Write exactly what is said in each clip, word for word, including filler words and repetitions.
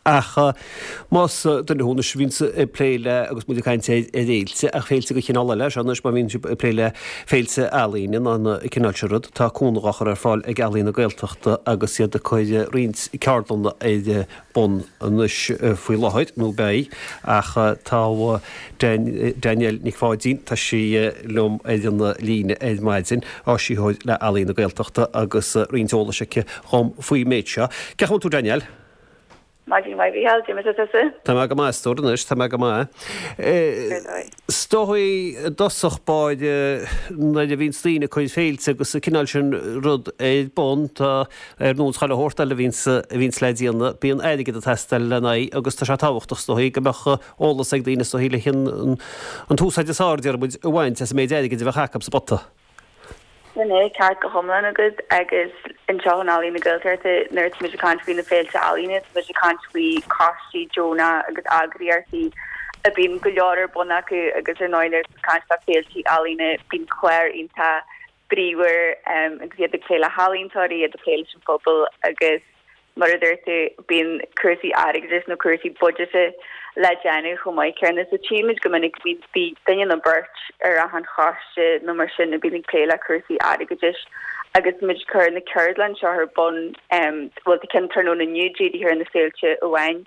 Ach más duine thú anois a bhíonns ag plé le, agus muid ag caint ar fhéilte, ach féilte de chineál eile, seo anois má bhíonn sibh ag plé le féilte ealaíne nó an cineál sin rud, tá cúnamh á chur ar fáil ag Ealaín na Gaeltachta agus iad ag cur roinnt ceardlanna ar bun anois faoi láthair, nó beidh, ach tá Danielle Nic Pháidín, tá sí liom ar an líne ar maidin, áisitheoir le Ealaín na Gaeltachta agus roinnt eolais aici dhom faoin méid seo. Cén chaoi a bhfuil tú Danielle? Maidin mhaith Mhícheál, cad é mar atá tusa? Tá mé go maith, a stór anois, tá mé go maith. Is dóigh i dtosach báire nuair a bhíonns daoine ag cur féilte agus an cineál sin rud ar bun, tá ar nós chuile shórt eile a bhíonns, a bhíonns le déanamh, bíonn airgead ag teastáil lena aghaidh agus tá sé tábhachtach is dóigh go mbeadh eolas ag daoine is dóigh le an, an t-úsáid is fearr, déarfaidh muid, a bhaint as an méid airgid a bheadh acu sa bpota. Sin é, ceart go hiomlán agat agus anseo in Ealaín na Gaeltachta nuair atá muid ag caint faoi na féilte ealaíne, tá muid ag caint faoi choistí deonacha agus eagraíochtaí a bíonn go leor ar bun acu agus ar ndóigh nuair atá caint fá féilte ealaíne bíonn clár iontach bríomhar agus iad ag plé le healaíontóirí, iad ag plé leis an phobal agus Mar a dúirt tú, bíonn cúrsaí airgeadais nó cúrsaí buiséid le déanamh chomh maith céanna. So tchímid go minic go mbíonn duine nó beirt ar achan choiste nó mar sin a bíonn ag plé le cúrsaí airgeadais agus muid ag cur na ceardlann seo ar bun, bhuel tá ceann tráthnóna inniu dírithe ar na féilte amháin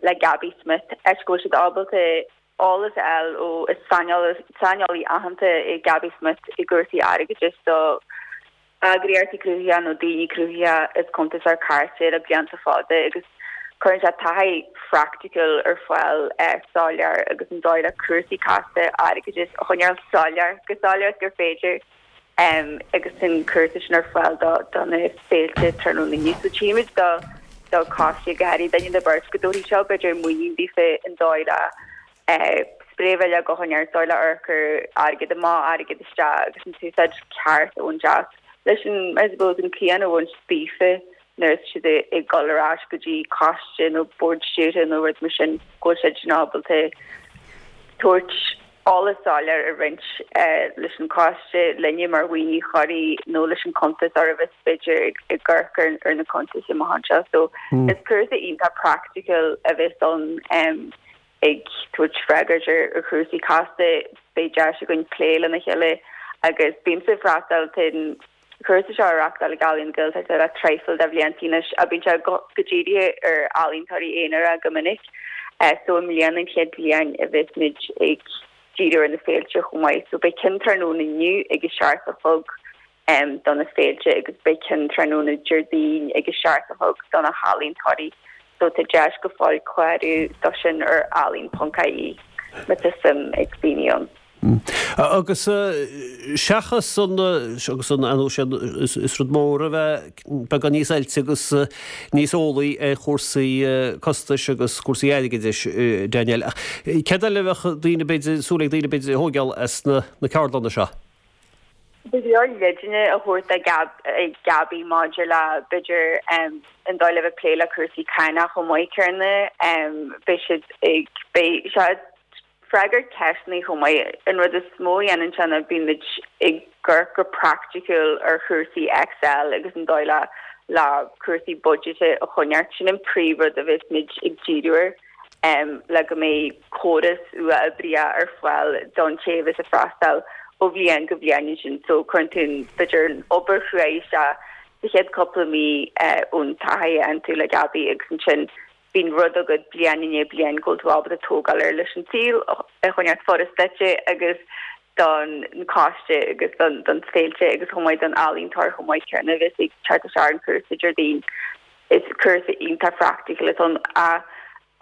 le Gabby Smith, áit go bhfuil siad ábalta eolas a fháil ó is saineolaí aitheanta é Gabby Smith i gcúrsaí airgeadais do eagraíochtaí cruthaitheacha nó daoine cruthaitheacha is cuntasóir cairte le blianta fada agus cuireann sé taithí phraiticiúil ar fáil soiléir agus an dóigh le cúrsaí casta airgeadais a choinneáil soiléir, go soiléir is gur féidir agus an cúrsa sin ar fáil do do na féilte tráthnóna inniu. So tchímid do do choistí go háirithe duine nó beirt go dtabharfaidh seo b'fhéidir muinín daofa an dóigh le spré bhile go neart dóigh le amharc ar airgead amach, airgead isteach agus an t-úsáid ceart a bhaint as. Leis an, I suppose, an cian a bhaint daofa nuair atá siad ag dul ar ais go dtí coiste nó bord stiúrtha nó rud mar sin go bhfuil siad sin ábalta tabhairt eolas soiléir a roinnt leis an choiste linne mar dhaoine chóirithe nó leis an cuntasóir a bheas b'fhéidir ag amharc ar na cuntais amach anseo. So is cúrsa iontach praiticiúil a bheas ann ag tabhairt freagairt ar chúrsaí casta, beidh deis againn plé lena chéile agus bímse ag freastal tá an cúrsa seo á reachtáil ag Ealaín na Gaeltachta le traidhfil de bhlianta anois ach bíonn sé go dírithe ar ealaíontóirí aonair go minic so i mbliana an chéad bhliain a bheas muid ag díriú ar na féilte chomh maith so beidh ceann tráthnóna inniu ag a seacht a chlog do na féilte agus beidh ceann tráthnóna Déardaoin ag a seacht a chlog do na healaíontóirí so tá deis go fóill clárú do sin ar ealaín ponc ie má tá suim ag daoine ann. Agus seachas an, agus an, ar ndóigh is rud mór a bheith beagán níos oilte agus níos eolaí ar chúrsaí costais agus cúrsaí airgeadais, Danielle, ach céard eile a bheadh daoine b'fhéidir, súil ag daoine b'fhéidir a thóigeáil as na ceardlanna seo? Go leor leideanna a thabhairt ag Gaby maidir le, b'fhéidir, an dóigh le bheith ag plé le cúrsaí cánach chomh maith céanna. Beidh siad ag, beidh sé ag freagairt ceisteanna chomh maith. An rud is mó a dhéanann sé ná bíonn muid ag amharc go praiticiúil ar chúrsaí Excel agus an dóigh le le cúrsaí buiséid a choinneáilt. Sin an príomhrud a bheas muid ag díriú air. le go mbeidh córas uathoibríoch ar fáil don té a bheas ag freastal ó bhliain go bliain ansin. So cuireann tú an, b'fhéidir an obair chruaidh isteach sa chéad cúpla mí ón taithí a fhaigheann tú le Gaby agus ansin bíonn rud agat bliain i ndiaidh bliain go bhfuil tú ábalta tógáil air leis an saol a choinneáilt furast duitse agus don choiste agus don don féilte agus chomh maith don ealaíontóir chomh maith céanna a bheas ag teacht isteach ar an chúrsa Déardaoin. Is cúrsa iontach praiticiúil atá ann ach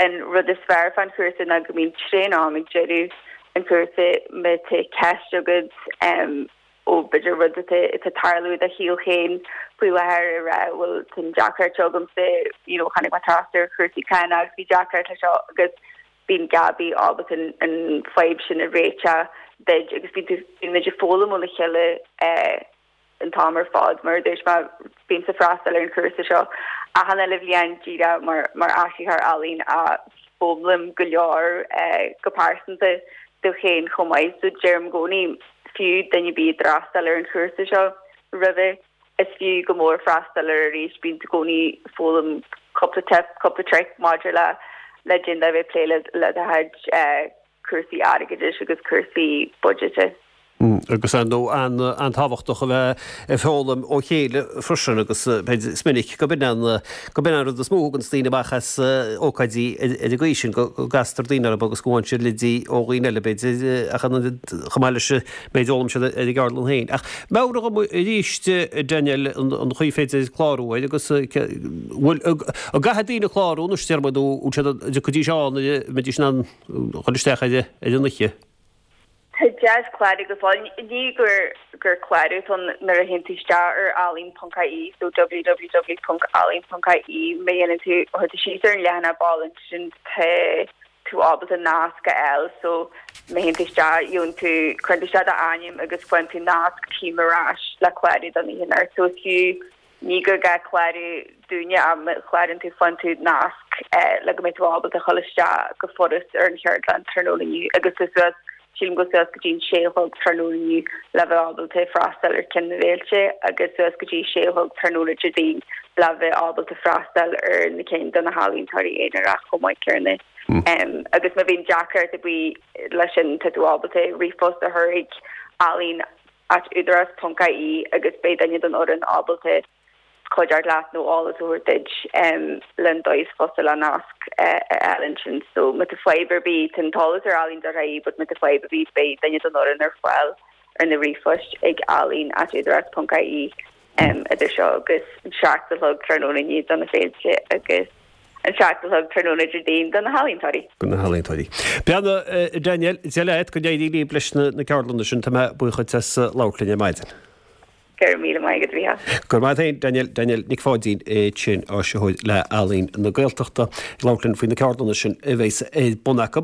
an rud is fearr fán chúrsa ná go mbíonn tréan-am ag deireadh an chúrsa má tá ceist agat ó b'fhéidir rud atá ag tarlú i do shaol féin faoi láthair a rá bhuel tá an deacracht seo agamsa you know tháinig mé trasna ar chúrsaí cánach agus bhí deacracht leis seo agus bíonn Gaby ábalta an fadhb sin a réiteach duit agus bíonn muid ag foghlaim óna chéile an t-am ar fad. Mar a dúirt mé, bímse ag freastal ar an chúrsa seo achan uile bhliain díreach mar mar áisitheoir ealaíon ach foghlaim go leor go pearsanta domh féin chomh maith. So deirim i gcónaí, fiú duine ar bith a d'fhreastail ar an chúrsa seo roimhe, is fiú go mór freastal air arís. Bíonn tú i gcónaí ag foghlaim cúpla tip, cúpla trick maidir le le duine a bheith plé le le do chuid cúrsaí airgeadais agus cúrsaí budget. Agus ar ndóigh an-tábhachtach a bheith ag foghlaim ó chéile freisin agus is minic go b'in an go b'in an rud is mó a thuganns daoine amach as ócáidí ar an gcaoi sin, go gcastar daoine orthu agus go bhfaigheann siad leidí ó dhaoine eile b'fhéidir ach chomh maith leis an méid a d'fhoghlaim siad ar an gceardlann féin. Ach meabhraigh dom arís Danielle an chaoi féidir clárú air agus bhfuil an gcaithfidh daoine clárú anois déarfaidh mé nó bhfuil siad an dtiocfaidís ann a mbeidís in ann dhul isteach ar an oíche? Tá deis clárú go fóill. Ní gur gur clárú atá ann nuair a théann tú isteach ar ealaín ponc ie so www ponc ealaín ponc ie má dhéanann tú chuir tú síos ar an leathanach baile ansin tá tú ábalta nasc a fháil so má théann tú isteach gheobhann tú cuireann tú isteach d'ainm agus faigheann tú nasc team ar ais le clárú don oíche anocht so is fiú ní gur gá clárú dúinne ach má chlárann tú faigheann tú nasc le go mbeidh tú ábalta a dhul isteach go furast ar an cheardlann tráthnóna inniu agus is suas sílim go suas go dtí an sé a chlog tráthnóna inniu le bheith ábalta freastal ar ceann na bhféilte agus suas go dtí sé a chlog tráthnóna Déardaoin le bheith ábalta freastal ar na cinn do na healaíontóirí aonarach chomh maith céanna. Agus má bhíonn deacracht ar bith leis sin tá tú ábalta ríomhphost a chur ag ealaín at údarás ponc ie agus beidh duine den fhoireann ábalta cuidiú leat nó eolas a thabhairt duit len dóigh is fusa le nasc a fháil ansin. So má tá fadhb ar bith tá an t-eolas ar ealaín dot ie but má tá fadhb ar bith beidh duine den fhoireann ar fáil ar na ríomhphoist ag ealaín at údarás ponc ie idir seo agus an seacht a chlog tráthnóna inniu do na féilte agus an seacht a chlog tráthnóna Déardaoin do na healaíontóirí. Do na healaíontóirí. Beannacht Danielle, Dia leat, go n-éirí libh leis na ceardlanna sin, tá mé buíoch duit as labhairt linn ar maidin. Go raibh míle maith agat, a Mhícheáil. Go raibh maith agat féin, Danielle, Danielle Nic Pháidín ansin, áisitheoir le Ealaín na Gaeltachta, ag labhairt linn faoi na ceardlanna sin a bheas ar bun acu.